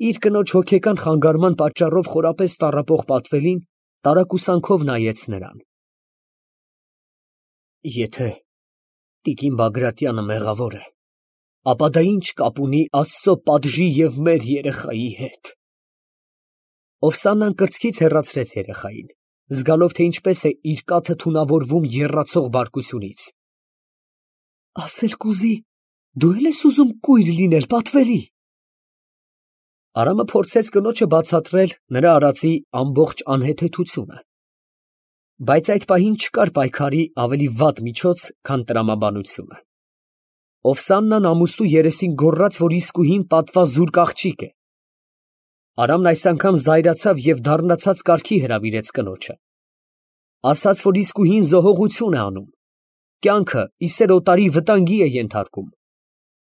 Իր կնոջ հոգեկան խանգարման պատճառով խորապես տառապող պատվելին տարակուսանքով նայեց նրան։ Եթե տիկին Բագրատյանը մեղավոր է, ապա դա ի՞նչ կապ ունի Աստծո պատժի և մեր երեխայի հետ։ Օվսանան կրծքից հեռացրեց երեխային, զգալով, թե ինչպես է իր կաթը թունավորվում եռացող բարկությունից։ Ասել կուզի, դու էլ ես ուզում կույր լինել, պատվելի։ Արամը փորձեց կնոջը բացատրել նրա արածի ամբողջ անհեթեթությունը, բայց այդ պահին չկար պայքարի ավելի վատ միջոց, քան տրամաբանությունը։ Օվսաննան ամուստու երեսին գոռաց, որ իսկույն պատվազուրկ աղջիկ է։ Արամն այս անգամ զայրացավ և դառնացած կարգի հրավիրեց կնոջը, ասաց, որ իսկույն զոհողություն է անում, կյանքը իսեր օտարի վտանգի է ենթարկում,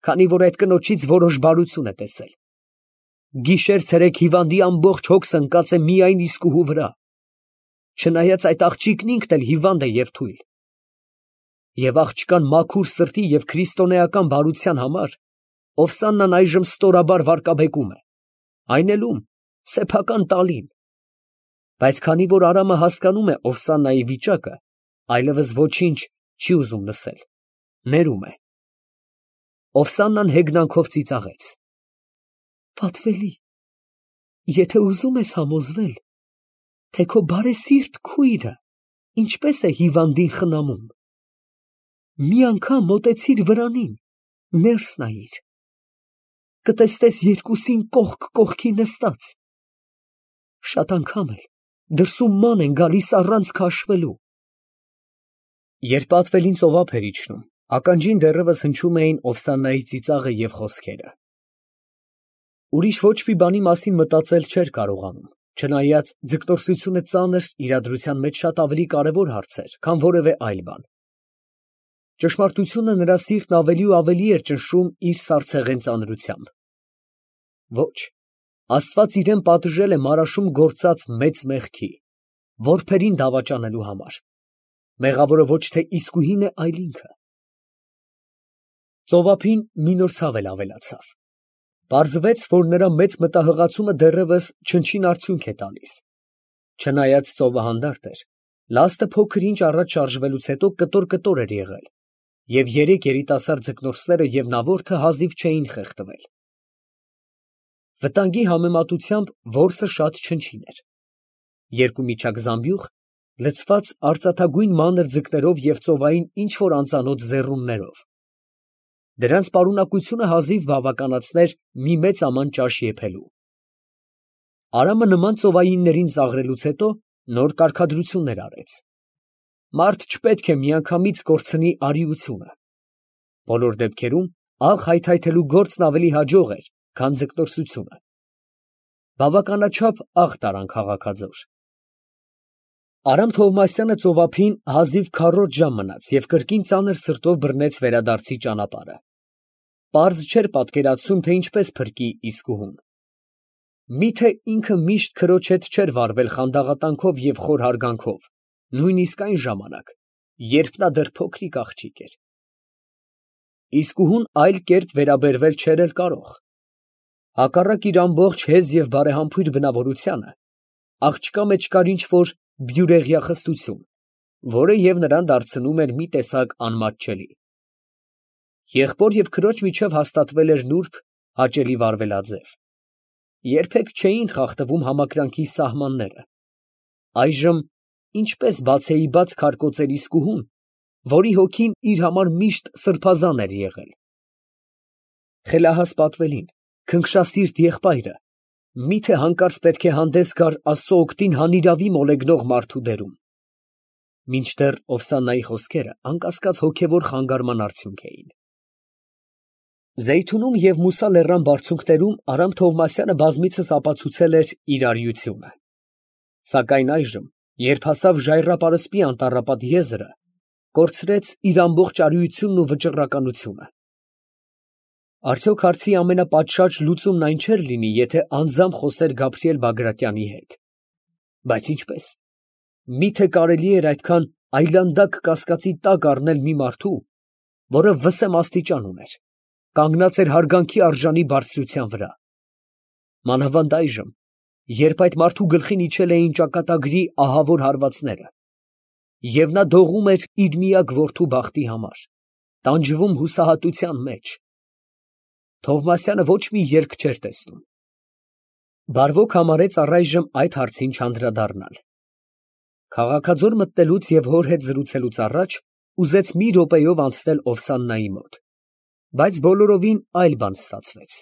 քանի որ այդ կնոջից որոշ բարություն է տեսել։ Գիշեր֊ցերեկ հիվանդի ամբողջ հոգսը ընկած է միայն իսկուհու վրա, չնայած այդ աղջիկն ինքն էլ հիվանդ է և թույլ։ Եվ աղջկան մաքուր սրտի և քրիստոնեական բարության համար Օվսաննան այժմ ստորաբար վարկաբեկում է, այն էլ ում, սեփական տալին։ Բայց քանի որ Արամը հասկանում է Օվսաննայի վիճակը, այլևս ոչինչ չի ուզում լսել, ներում է։ Օվսաննան հեգնանքով ծիծաղեց. Պատվելի, եթե ուզում ես համոզվել, թե քո բարեսիրտ քույրը ինչպես է հիվանդին խնամում, մի անգամ մոտեցիր վրանին, ներս նայիր, կտեսնես երկուսին կողք կողքի նստած, շատ անգամ էլ դրսում ման են գալիս առանց քաշվելու։ Երբ պատվելին ծովափ էր իջնում, ականջին դեռևս հնչում էին Օվսաննայի ծիծաղը և խոսքերը։ Ուրիշ ոչ մի բանի մասին մտածել չէր կարողանում, չնայած ձգտորսությունը ծանր իրադրության մեջ շատ ավելի կարևոր հարց էր, քան որևէ այլ բան։ Ճշմարտությունը նրա սիրտն ավելի ու ավելի էր ճնշում իր սառցեղեն ծանրությամբ։ Ոչ, Աստված իրան պատժել է մարաշում գործած մեծ մեղքի, որբերին դավաճանելու համար։ Մեղավորը ոչ թե իսկույն է, այլ ինքը։ Ծովափին մի նոր ցավ էլ ավելացավ։ Պարզվեց, որ նրա մեծ մտահղացումը դեռևս չնչին արդյունք է տալիս։ Չնայած ծովը հանդարտ էր, լաստը փոքր ինչ առաջ շարժվելուց հետո կտոր էր եղել, և երեք երիտասարդ ձկնորսները և նավորդը հազիվ չէին խեղդվել։ Վտանգի համեմատությամբ որսը շատ չնչին էր։ Երկու միջակ զամբյուղ, լցված արծաթագույն մանր ձկներով և ծովային ինչ֊որ անծանոթ ձեռուններով։ Դրանց պարունակությունը հազիվ բավականացներ մի մեծ աման ճաշ եփելու։ Արամը նման ծովայիններին ծաղրելուց հետո նոր կարգադրություններ արեց։ Մարդ չպետք է միանգամից կորցնի արիությունը։ Բոլոր դեպքերում աղ հայթայթելու գործն ավելի հաջող էր, քան ձկնորսությունը։ Բավականաչափ աղ տարան քաղաքաձոր։ Արամ Թովմասյանը ծովափին հազիվ քառորդ ժամ մնաց և կրկին ծանր սրտով բռնեց վերադարձի ճանապարհը։ Պարզ չէր պատկերացնում, թե ինչպես փրկի իսկուհուն։ Միթե ինքը միշտ քրոջ հետ չէր վարվել խանդաղատանքով և խոր հարգանքով, նույնիսկ այն ժամանակ, երբ նա դեռ փոքրիկ աղջիկ էր։ Իսկուհուն այլ կերպ վերաբերվել չէր էլ կարող։ Հակառակ իր ամբողջ հեզ և բարեհամբույր բնավորությանը, աղջկա մեջ կար ինչ֊որ բյուրեղյա խստություն, որը և նրան դարձնում էր մի տեսակ անմատչելի։ Եղբոր և քրոջ միջև հաստատվել էր նուրբ, հաճելի վարվելաձև։ Երբեք չէին խախտվում համակրանքի սահմանները։ Այժմ ինչպես բացեիբաց քարկոծեր իսկուհուն, որի հոգին իր համար միշտ սրբազան էր եղել։ Խելահաս պատվելին, քնքշասիրտ եղբայրը, միթե հանկարծ պետք է հանդես գար Աստծո օգտին հանիրավի մոլեգնող մարդու դերում։ Մինչդեռ Օվսաննայի խոսքերը անկասկած հոգևոր խանգարման արդյունք էին։ Զեյթունում և Մուսա լեռան բարձունքներում Արամ Թովմասյանը բազմիցս ապացուցել էր իր արիությունը։ Սակայն այժմ, երբ հասավ Ժայռապարսպի անտառապատ եզրը, կորցրեց իր ամբողջ արիությունն ու վճռականությունը։ Արդյոք հարցի ամենապատշաճ լուծումն այն չէր լինի, եթե անձամբ խոսեր Գաբրիել Բագրատյանի հետ։ Բայց ինչպե՞ս։ Մի՞թե կարելի էր այդքան այլանդակ կասկածի տակ առնել մի մարդու, որը վսեմ աստիճան ուներ, կանգնած էր հարգանքի արժանի բարձրության վրա։ մանավանդ այժմ, երբ այդ մարդու գլխին իջել էին ճակատագրի ահավոր հարվածները, և նա դողում էր իր միակ որդու բախտի համար, տանջվում հուսահատության մեջ, Թովմասյանը ոչ մի ելք չէր տեսնում։ Բարվոք համարեց առայժմ այդ հարցին չանդրադառնալ։ Քաղաքաձոր մտնելուց և հոր հետ զրուցելուց առաջ ուզեց մի րոպեով անցնել Օվսաննայի մոտ, բայց բոլորովին այլ բան ստացվեց։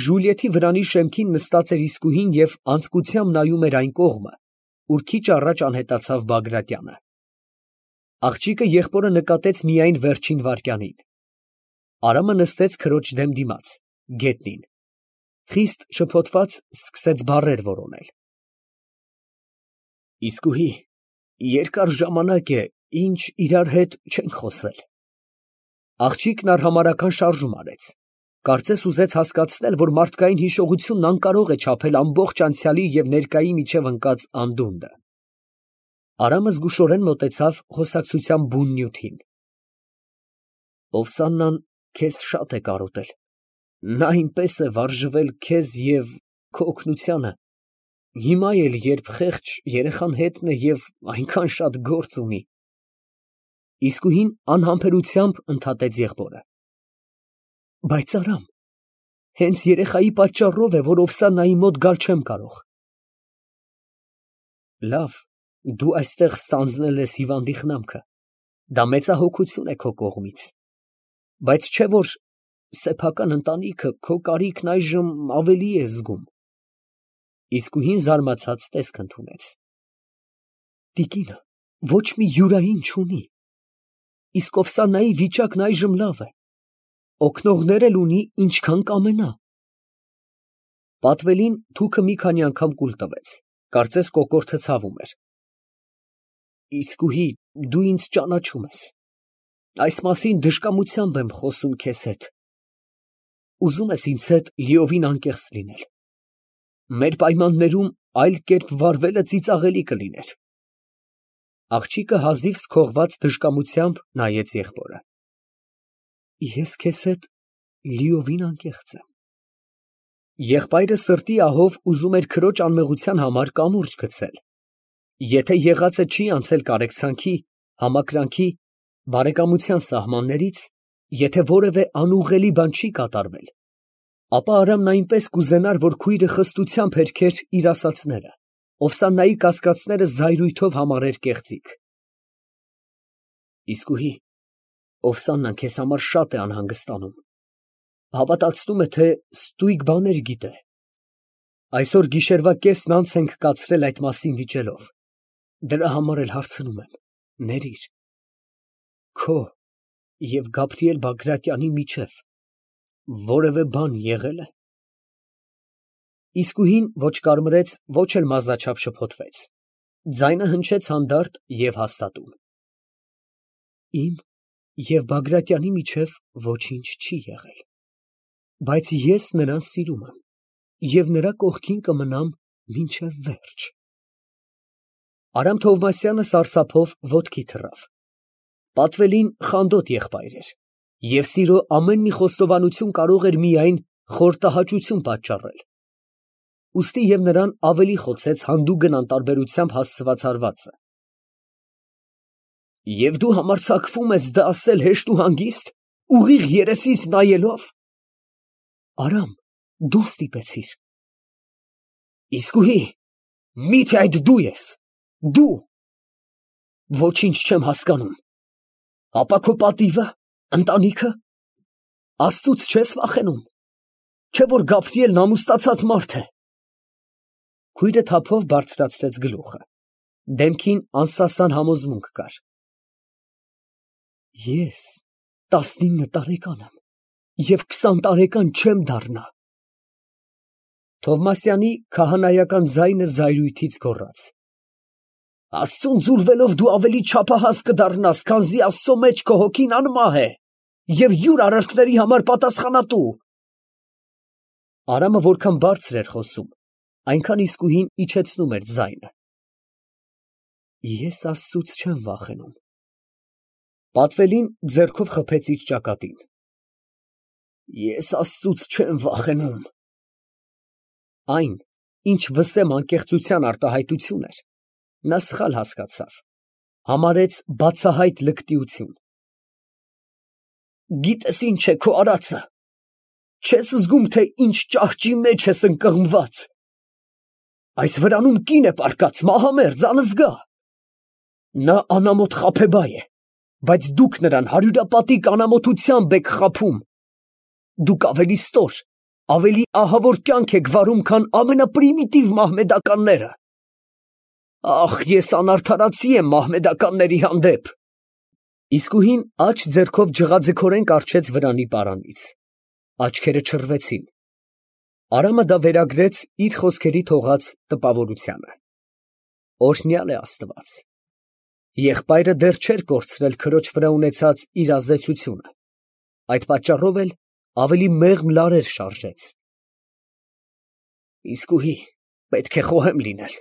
Ժուլիեթի վրանի շեմքին նստած էր իսկուհին և անձկությամբ նայում էր այն կողմը, ուր քիչ առաջ անհետացավ Բագրատյանը։ Աղջիկը եղբորը նկատեց միայն վերջին վայրկյանին։ Արամը նստեց քրոջ դեմ դիմաց, գետնին, խիստ շփոթված սկսեց բառեր որոնել։ Իսկուհի, երկար ժամանակ է, ինչ իրար հետ չենք խոսել։ Աղջիկն արհամարհական շարժում արեց, կարծես ուզեց հասկացնել, որ մարդկային հիշողությունն անկարող է չափել ամբողջ անցյալի և ներկայի միջև ընկած անդունդը։ Արամը զգուշորեն մոտեցավ խոսակցության բուն նյութին։ Օվսաննան քեզ շատ է կարոտել, նա այնպես է վարժվել քեզ և քո օգնությանը, հիմա էլ, երբ խեղճ երեխան հետն է և այնքան շատ գործ ունի… Իսկուհին անհամբերությամբ ընդհատեց եղբորը։ Բայց Արամ, հենց երեխայի պատճառով է, որ Օվսաննայի մոտ գալ չեմ կարող։ Լավ, դու այստեղ ստանձնել ես հիվանդի խնամքը, դա մեծահոգություն է քո կողմից, բայց չէ՞ որ սեփական ընտանիքը քո կարիքն այժմ ավելի է զգում։ Իսկուհին զարմացած տեսք ընդունեց։ Տիկինը ոչ մի յուրային չունի, իսկ Օվսաննայի վիճակն այժմ լավ է, օգնողներ էլ ունի, ինչքան կամենա։ Պատվելին թուքը մի քանի անգամ կուլ տվեց, կարծես կոկորդը ցավում էր։ Իսկուհի, դու ինձ ճանաչում ես, այս մասին դժկամությամբ եմ խոսում քեզ հետ, ուզում ես ինձ հետ լիովին անկեղծ լինել, մեր պայմաններում այլ կերպ վարվելը ծիծաղելի կլիներ։ Աղջիկը հազիվ սքողված դժկամությամբ նայեց եղբորը։ Ես քեզ հետ լիովին անկեղծ եմ։ Եղբայրը սրտի ահով ուզում էր քրոջ անմեղության համար կամուրջ գցել, եթե եղածը չի անցել կարեկցանքի, համակրանքի, բարեկամության սահմաններից, եթե որևէ անուղղելի բան չի կատարվել, ապա Արամն այնպես կուզենար, որ քույրը խստությամբ հերքեր իր ասածները, Օվսաննայի կասկածները զայրույթով համարեր կեղծիք։ Իսկուհի, Օվսաննան քեզ համար շատ է անհանգստանում, հավատացնում է, թե ստույգ բաներ գիտե։ Այսօր գիշերվա կեսն անց ենք կացրել այդ մասին վիճելով, դրա համար էլ հարցնում եմ, ներիր, քո և Գաբրիել Բագրատյանի միջև որևէ բան եղե՞լ է։ Իսկուհին ոչ կարմրեց, ոչ էլ մազաչափ շփոթվեց, ձայնը հնչեց հանդարտ և հաստատուն։ Իմ և Բագրատյանի միջև ոչինչ չի եղել, բայց ես նրան սիրում եմ և նրա կողքին կմնամ մինչև վերջ։ Արամ Թովմասյանը սարսափով ոտքի թռավ։ Պատվելին խանդոտ եղբայր էր, և սիրո ամեն մի խոստովանություն կարող էր միայն խորտահաճություն պատճառել, ուստի և նրան ավելի խոցեց հանդուգն անտարբերությամբ հասցված հարվածը։ Եվ դու համարձակվում ես դա ասել հեշտ ու հանգիստ, ուղիղ երեսիս նայելով… Արամ, դու ստիպեցիր… Իսկուհի, մի՞թե այդ դու ես… դու… Ոչինչ չեմ հասկանում… Ապա քո պատիվը, ընտանիքը… Աստծուց չես վախենում… Չէ՞ որ Գաբրիելն ամուսնացած մարդ է… Քույրը թափով բարձրացրեց գլուխը, դեմքին անսասան համոզմունք կար։ Ես 19 տարեկան եմ և 20 տարեկան չեմ դառնա… Թովմասյանի քահանայական ձայնը զայրույթից գոռաց։ Աստծուն ձուլվելով դու ավելի չափահաս կդառնաս, քանզի Աստծո մեջ քո հոգին անմահ է և յուր արարքների համար պատասխանատու… Արամը որքան բարձր էր խոսում, այնքան իսկուհին իջեցնում էր ձայնը։ Ես Աստծուց չեմ վախենում… Պատվելին ձեռքով խփեց իր ճակատին։ Ես Աստծուց չեմ վախենում… Այն, ինչ վսեմ անկեղծության արտահայտություն էր, նա սխալ հասկացավ, համարեց բացահայտ լկտիություն։ Գիտես ինչ է քո արածը, չես զգում, թե ինչ ճահճի մեջ ես ընկղմված։ Այս վրանում կին է պառկած, մահամերձ, անզգա։ Նա անամոթ խաբեբայ է, բայց դուք նրան հարյուրապատիկ անամոթությամբ եք խաբում։ Դուք ավելի ստոր, ավելի ահավոր կյանք եք վարում, քան ամենապրիմիտիվ մահմեդականները։ Ախ, ես անարդարացի եմ մահմեդականների հանդեպ։ Իսկուհին աջ ձեռքով ջղաձգորեն կառչեց վրանի պարանից։ Աչքերը չռվեցին։ Արամը դա վերագրեց իր խոսքերի թողած տպավորությանը։ Օրհնյալ է Աստված։ Եղբայրը դեռ չէր կորցրել քրոջ վրա ունեցած իր ազդեցությունը, այդ պատճառով էլ ավելի մեղմ լարեր շարժեց։ Իսկուհի, պետք է խոհեմ լինել։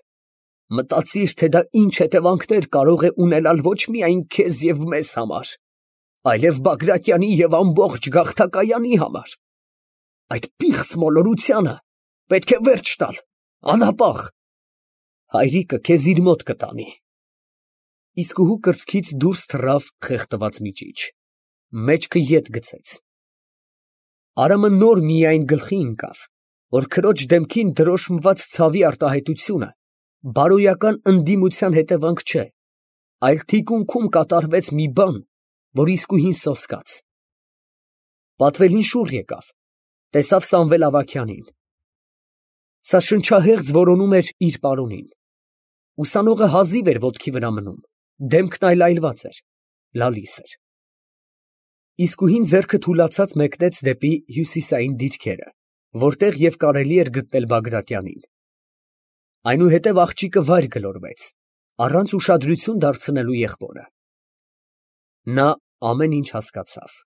Մտածիր, թե դա ինչ հետևանքներ կարող է ունենալ ոչ միայն քեզ և մեզ համար, այլև Բագրատյանի և ամբողջ գաղթակայանի համար։ Այդ պիղծ մոլորությանը պետք է վերջ տալ, անհապաղ։ Հայրիկը քեզ իր մոտ կտանի։ Իսկուհու կրծքից դուրս թռավ խեղդված միջիչ, մեջքը ետ գցեց։ Արամը նոր միայն գլխի ընկավ, որ քրոջ դեմքին դրոշմված ցավի արտահայտությունը բարոյական ընդդիմության հետևանք չէ, այլ թիկունքում կատարվեց մի բան, որ իսկուհին սոսկաց։ Պատվելին շուռ եկավ, տեսավ Սամվել Ավագյանին։ Սա շնչահեղձ որոնում էր իր պարոնին։ Ուսանողը հազիվ էր ոտքի վրա մնում, դեմքն այլայլված էր, լալիս էր։ Իսկուհին ձեռքը թուլացած մեկնեց դեպի հյուսիսային դիրքերը, որտեղ և կարելի էր գտնել Բագրատյանին։ Այնուհետև աղջիկը վայր գլորվեց, առանց ուշադրություն դարձնելու եղբորը։ Նա ամեն ինչ հասկացավ։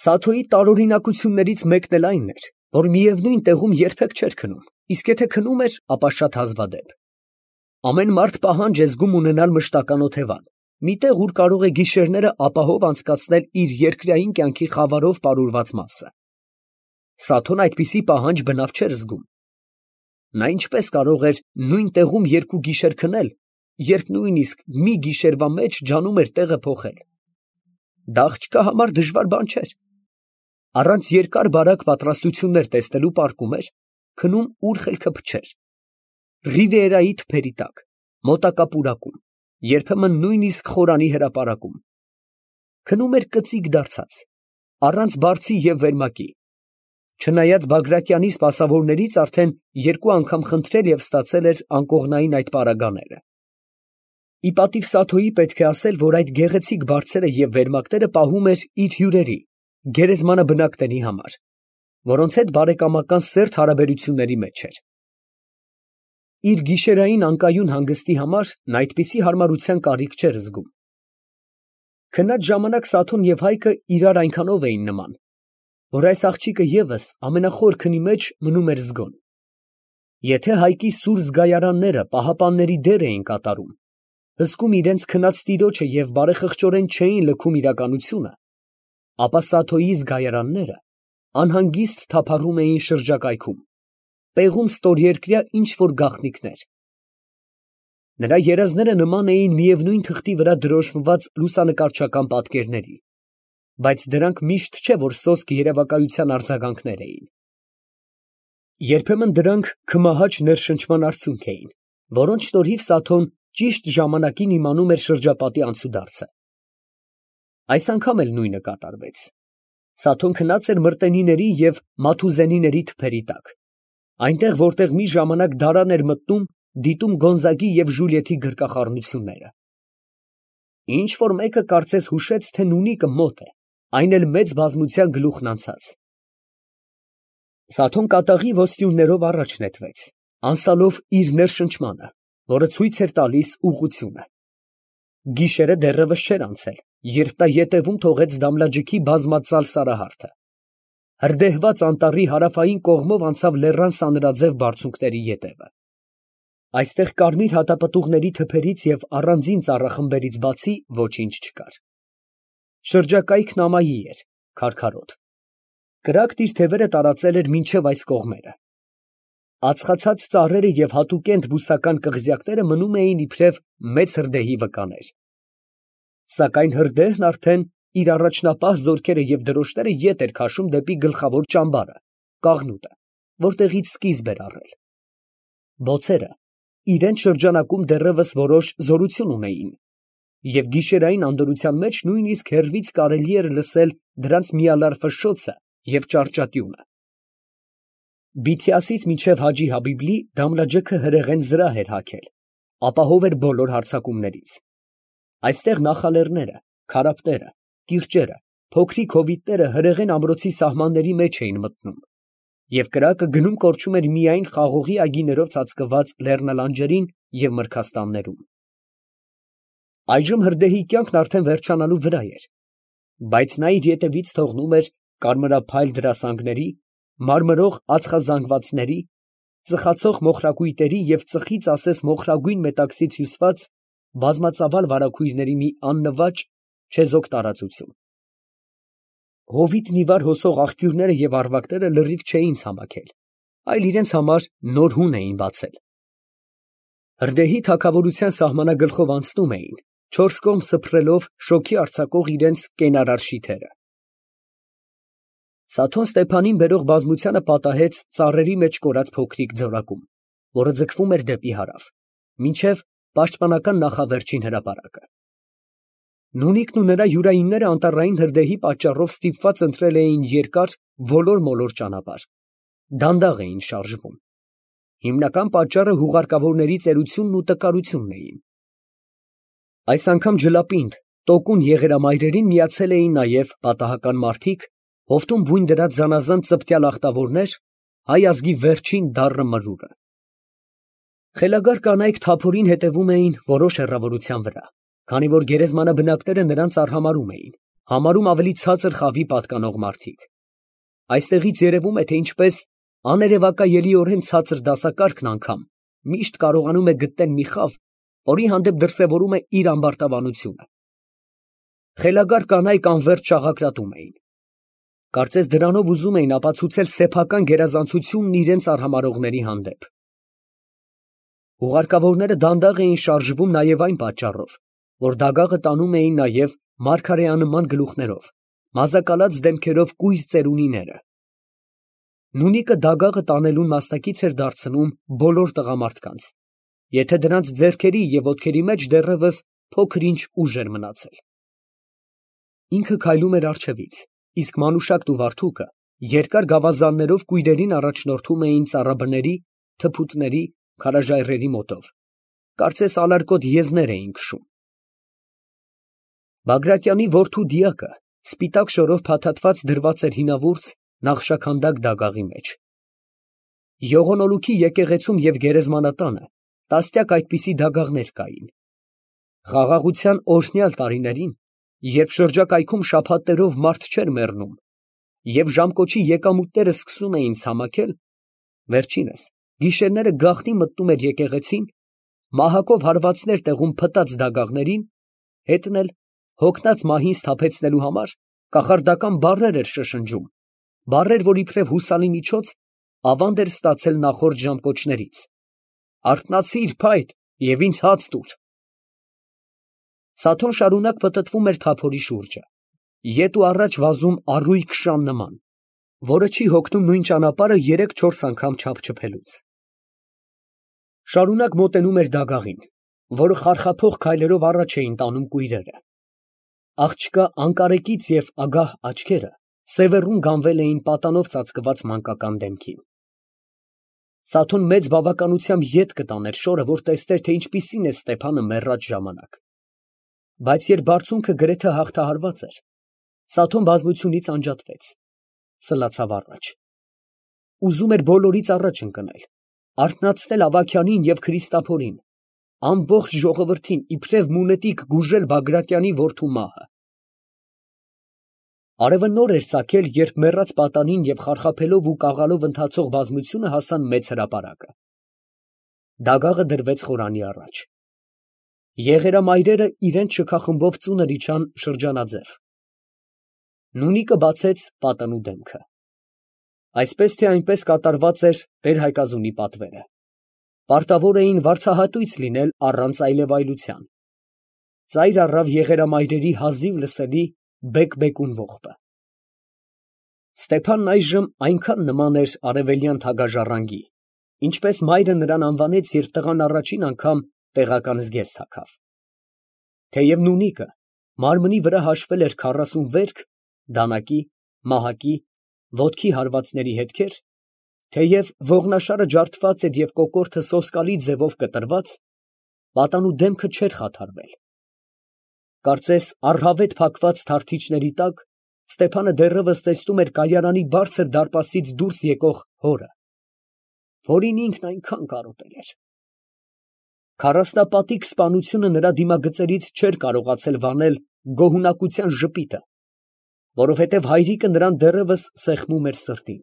Սաթոյի տարօրինակություններից մեկն էլ այն էր, որ միևնույն տեղում երբեք չէր քնում, իսկ եթե քնում էր, ապա շատ հազվադեպ։ Ամեն մարդ պահանջ է զգում ունենալ մշտական օթևան, մի տեղ, ուր կարող է գիշերները ապահով անցկացնել իր երկրային կյանքի խավարով պարուրված մասը։ Սաթոն այդպիսի պահանջ բնավ չէր զգում։ Նա ինչպես կարող էր նույն տեղում երկու գիշեր քնել, երբ նույնիսկ մի գիշերվա մեջ ջանում էր տեղը փոխել։ Դա աղջկա համար դժվար բան չէր։ Առանց երկար֊բարակ պատրաստություններ տեսնելու պառկում էր, քնում ուր խելքը փչեր։ Ռիվիերայի թփերի տակ, մոտակա պուրակում, երբեմն նույնիսկ խորանի հրապարակում։ Քնում էր կծիկ դարձած, առանց բարձի և վերմակի։ Չնայած Բագրատյանի սպասավորներից արդեն երկու անգամ խնդրել և ստացել էր անկողնային այդ պարագաները։ Ի պատիվ Սաթոյի պետք է ասել, որ այդ գեղեցիկ բարձերը և վերմակները պահում էր իր հյուրերի, գերեզմանը բնակների համար, որոնց հետ բարեկամական սերտ հարաբերությունների մեջ էր։ Իր գիշերային անկայուն հանգստի համար նա այդպիսի հարմարության կարիք չէր զգում։ Քնած ժամանակ Սաթոն և Հայկը իրար այնքանով էին նման, որ այս աղջիկը ևս ամենախոր քնի մեջ մնում էր զգոն։ Եթե Հայկի սուր զգայարանները պահապանների դեր էին կատարում, հսկում իրենց քնած տիրոջը և բարեխղճորեն չէին լքում իրականությունը, ապա Սաթոյի զգայարանները անհանգիստ թափառում էին շրջակայքում, պեղում ստորերկրյա ինչ֊որ գաղտնիքներ։ Նրա երազները նման էին միևնույն թղթի վրա դրոշմված լուսանկարչական պատկերների, բայց դրանք միշտ չէ, որ սոսկ երևակայության արձագանքներ էին։ Երբեմն դրանք քմահաճ ներշնչման արդյունք էին, որոնց շնորհիվ Սաթոն ճիշտ ժամանակին իմանում էր շրջապատի անցուդարձը։ Այս անգամ էլ նույնը կատարվեց։ Սաթոն քնած էր Մրտենիների և Մաթուզենիների թփերի տակ, այնտեղ, որտեղ մի ժամանակ դարան էր մտնում, դիտում Գոնզագի և Ժուլիետի գրկախառնությունները։ Ինչ որ մեկը կարծես հուշեց, թե նունիկը մոտ է, այն էլ մեծ բազմության գլուխն անցած։ Սաթոն կատաղի ոսյուններով առաջ նետվեց, անցալով իր ներշնչմանը, որը ցույց էր տալիս ուղղությունը։ Գիշերը դեռևս չէր անցել, երբ նա ետևում թողեց Դամլաջիքի բազմածալ սարահարթը։ Հրդեհված անտառի հարավային կողմով անցավ լեռան սանրաձև բարձունքների ետևը։ Այստեղ կարմիր հատապտուղների թփերից և առանձին ծառախմբերից բացի ոչինչ չկար։ Շրջակայքն ամայի էր, քարքարոտ։ Կրակն իր թևերը տարածել էր մինչև այս կողմերը։ Ածխացած ծառերը և հատուկենտ բուսական կղզյակները մնում էին իբրև մեծ հրդեհի վկաներ։ Սակայն հրդեհն արդեն իր առաջնապահ զորքերը և դրոշները ետ էր քաշում դեպի գլխավոր ճամբարը, Կաղնուտը, որտեղից սկիզբ էր առել։ Բոցերը իրենց շրջանակում դեռևս որոշ զորություն ունեին, և գիշերային անդորրության մեջ նույնիսկ հեռվից կարելի էր լսել դրանց միալար ֆշշոցը և ճառճատյունը։ Բիթիասից մինչև Հաջի Հաբիբլի Դամլաջեքը հրեղեն զրահ էր հագել, ապահով էր բոլոր հարձակումներից։ Այստեղ նախալեռները, քարափտերը, կիրճերը, փոքրիկ հովիտները հրեղեն ամրոցի սահմանների մեջ էին մտնում, և կրակը գնում֊կորչում էր միայն խաղողի այգիներով ծածկված լեռնալանջերին և մրգաստաններում։ Այժմ հրդեհի կյանքն արդեն վերջանալու վրա էր, բայց նա իր ետևից թողնում էր կարմրափայլ դրասանգների, մարմրող ածխազանգվածների, ծխացող մոխրակույտերի և ծխից ասես մոխրագույն մետաքսից հյուսված բազմածավալ վարագույրների մի աննվաճ չեզոք տարածություն։ Հովիտն ի վար հոսող աղբյուրները և առվակները լրիվ չէին ցամաքել, այլ իրենց համար նոր հուն էին բացել։ Հրդեհի թագավորության սահմանագլխով անցնում էին, չորս կողմ սփռելով շոգի արձակող իրենց կենարար շիթերը։ Սաթոն Ստեփանին բերող բազմությանը պատահեց ծառերի մեջ կորած փոքրիկ ձորակում, որը ձգվում էր դեպի հարավ, մինչև պաշտպանական նախավերջին հրապարակը։ Նունիկն ու նրա յուրայինները անտառային հրդեհի պատճառով ստիպված ընտրել էին երկար ոլոր֊մոլոր ճանապարհ, դանդաղ էին շարժվում։ Հիմնական պատճառը հուղարկավորների ծերությունն ու տկարությունն էին։ Այս անգամ ջլապինդ, տոկուն եղերամայրերին միացել էին նաև պատահական մարդիկ, հովտում բույն դրած զանազան ծպտյալ ախտավորներ, հայ ազգի վերջին դառը մրուրը։ Խելագար կանայք թափորին հետևում էին որոշ հեռավորության վրա, քանի որ գերեզմանա բնակները նրանց արհամարհում էին, համարում ավելի ցածր խավի պատկանող մարդիկ։ Այստեղից երևում է, թե ինչպես աներևակայելիորեն ցածր դասակարգն անգամ միշտ կարողանում է գտնել մի խավ, որի հանդեպ դրսևորում է իր ամբարտավանությունը։ Խելագար կանայք անվերջ շաղակրատում էին։ Կարծես դրանով ուզում էին ապացուցել սեփական գերազանցությունն իրենց արհամարհողների հանդեպ։ Ուղարկավորները դանդաղ էին շարժվում նաև այն պատճառով, որ դագաղը տանում էին նաև մարգարեանման գլուխներով, մազակալած դեմքերով կույր ծերունիները։ Նունիկը դագաղը տանելուն մասնակից էր դարձնում բոլոր տղամարդկանց, եթե դրանց ձեռքերի և ոտքերի մեջ դեռևս փոքր֊ինչ ուժ էր մնացել։ Ինքը քայլում էր առջևից, իսկ Մանուշակն ու Վարդուկը երկար գավազաններով կույրերին առաջնորդում էին ծառաբների, թփուտների, քարաժայռերի մոտով, կարծես ալարկոտ եզներ էին քշում։ Բագրատյանի որդու դիակը սպիտակ շորով փաթաթված դրված էր հինավուրց նախշաքանդակ դագաղի մեջ։ Յողոնոլուքի եկեղեցում և գերեզմանատանը տասնյակ այդպիսի դագաղներ կային։ Խաղաղության օրհնյալ տարիներին, երբ շրջակայքում շաբաթներով մարդ չէր մեռնում, և ժամկոչի եկամուտները սկսում էին ցամաքել, վերջինս գիշերները գաղտնի մտնում էր եկեղեցին, մահակով հարվածներ տեղում փտած դագաղներին, հետն էլ հոգնած մահին սթափեցնելու համար կախարդական բառեր էր շշնջում, բառեր, որ իբրև հուսալի միջոց ավանդ էր ստացել նախորդ ժամկոչներից. «Արթնացի՛ր, փայտ, և ինձ հաց տուր»։ Սաթոն շարունակ պտտվում էր թափորի շուրջը, ետ ու առաջ վազում առույգ շան նման, որը չի հոգնում նույն ճանապարհը երեք֊չորս անգամ չափչփելուց։ Շարունակ մոտենում էր դագաղին, որը խարխափող քայլերով առաջ էին տանում կույրերը։ Աղջկա անկարեկից և ագահ աչքերը սևեռուն գանվել էին պատանով ծածկված մանկական դեմքին։ Սաթոն մեծ բավականությամբ ետ կտաներ շորը, որ տեսներ, թե ինչպիսին է Ստեփանը մեռած ժամանակ։ Բայց երբ բարձունքը գրեթե հաղթահարված էր, Սաթոն բազմությունից անջատվեց, սլացավ առաջ։ Ուզում էր բոլորից առաջ ընկնել, արթնացնել Ավագյանին և Քրիստափորին, ամբողջ ժողովրդին իբրև մունետիկ գուժել Բագրատյանի որդու մահը։ Արևը նոր էր ծագել, երբ մեռած պատանին և խարխափելով ու կաղալով ընթացող բազմությունը հասան մեծ հրապարակը։ Դագաղը դրվեց խորանի առաջ։ Եղերամայրերը իրենց շքախմբով ծունր իջան շրջանաձև։ Նունիկը բացեց պատանու դեմքը։ Այսպես թե այնպես կատարված էր տեր֊Հայկազունի պատվերը. պարտավոր էին վարձահատույց լինել առանց այլևայլության։ Ծայր առավ եղերամայրերի հազիվ լսելի բեկ֊բեկուն ողբը։ Ստեփանն այժմ այնքան նման էր արևելյան թագաժառանգի, ինչպես մայրը նրան անվանեց, երբ տղան առաջին անգամ տեղական զգեստ հագավ։ Թեև նունիկը մարմնի վրա հաշվել էր 40 վերք, դանակի, մահակի, ոտքի հարվածների հետքեր, թեև ողնաշարը ջարդված էր և կոկորդը սոսկալի ձևով կտրված, պատանու դեմքը չէր խաթարվել։ Կարծես առհավետ փակված թարթիչների տակ Ստեփանը դեռևս տեսնում էր կայարանի բարձր դարպասից դուրս եկող հորը, որին ինքն այնքան կարոտել էր։ Քառասնապատիկ սպանությունը նրա դիմագծերից չէր կարողացել վանել գոհունակության ժպիտը, որովհետև հայրիկը նրան դեռևս սեղմում էր սրտին.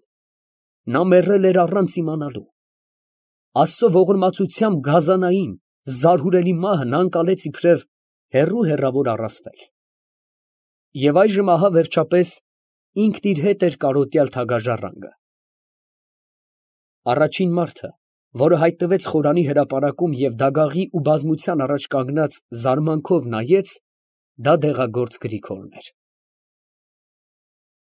նա մեռել էր առանց իմանալու։ Աստծո ողորմածությամբ գազանային, զարհուրելի մահը նա ընկալեց իբրև հեռու առասպել։ Եվ այժմ ահա վերջապես ինքն իր հետ էր կարոտյալ թագաժառանգը։ Առաջին մարդը, որը հայտնվեց խորանի հրապարակում և դագաղի ու բազմության առաջ կանգնած զարմանքով նայեց, դա դեղագործ Գրիգորն էր։